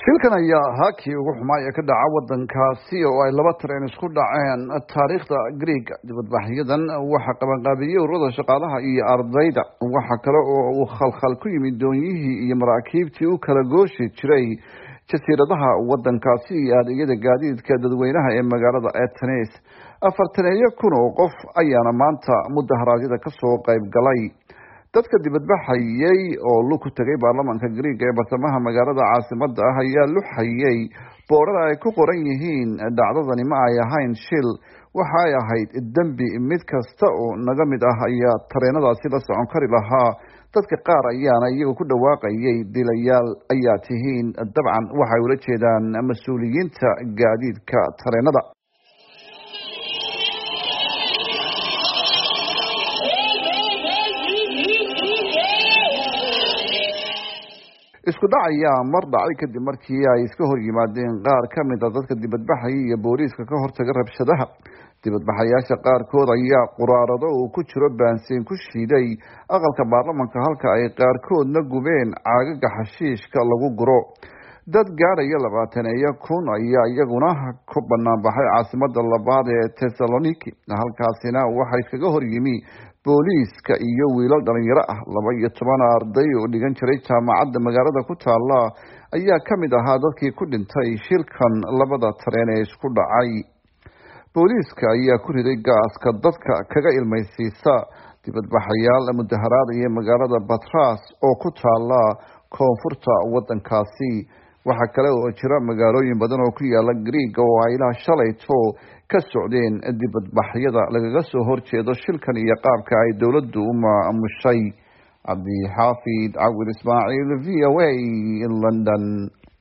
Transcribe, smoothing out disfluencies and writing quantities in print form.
Shilkan ayaa ahaa kii ugu xumaa ee ka dhaca wadankaasi oo ay laba tareen isku dhaceen taariikhda Greega. Dibadbaxyadan waxaa qabanqaabiyey ururada shaqaalaha iyo ardayda. Waxa kale oo uu khalkhal ku yimid doonyihii iyo maraakiibtii u kala gooshi jiray jasiiradaha wadankaasi iyo adeegyada gaadiidka dadweynaha ee magaalada Atenes. 40-eeyo kun oo qof ayaana maanta mudaharaadyada kasoo qayb galay. Dadka dibadbaxayay oo lug ku tegay baarlamaanka Greega ee bartamaha magaalada caasimada ah ayaa luxayay boodhar ay ku qoran yihiin: "Dhacdadani ma ay ahayn shil, waxa ay ahayd dembi. Mid kasta oo naga mid ah ayaa tareenadaasi la socon kari lahaa." Dadka qaar ayaana iyagu ku dhawaaqayay: "Dilayaal ayaa tihiin." Dabcan waxay ula jeedaan mas-uuliyiinta gaadiidka tareenada. Isku dhac ayaa mar dhacay kadib markii ay iska hor yimaadeen qaar ka mid a dadka dibadbaxaya iyo booliiska ka hortaga rabshadaha. Dibadbaxayaasha qaarkood ayaa quraarado uu ku jiro baansiin ku shiiday aqalka baarlamanka, halka ay qaarkoodna gubeen caagaga xashiishka lagu guro. Dad gaadhaya 20-eeyo kun ayaa iyaguna ku banaanbaxay caasimada labaad ee Thessaloniki. Halkaasina waxaa iskaga hor yimi booliiska iyo wiilal dhalinyaro ah. 12 arday oo dhigan jiray jaamacadda magaalada ku taala ayaa ka mid ahaa dadkii ku dhintay shilkan labada tareen ee isku dhacay. Booliiska ayaa ku riday gaaska dadka kaga ilmaysiisa dibadbaxayaal mudaharaadaya magaalada Batras oo ku taala koonfurta wadankaasi. Waxaa kale oo jira magaalooyin badan oo ku yaala Greega oo ay ilaa shalayto ka socdeen dibadbaxyada lagaga soo horjeedo shilkan iyo qaabka ay dowladdu u maamushay. Cabdixaafid Cawil Ismaaciil, VOA, London.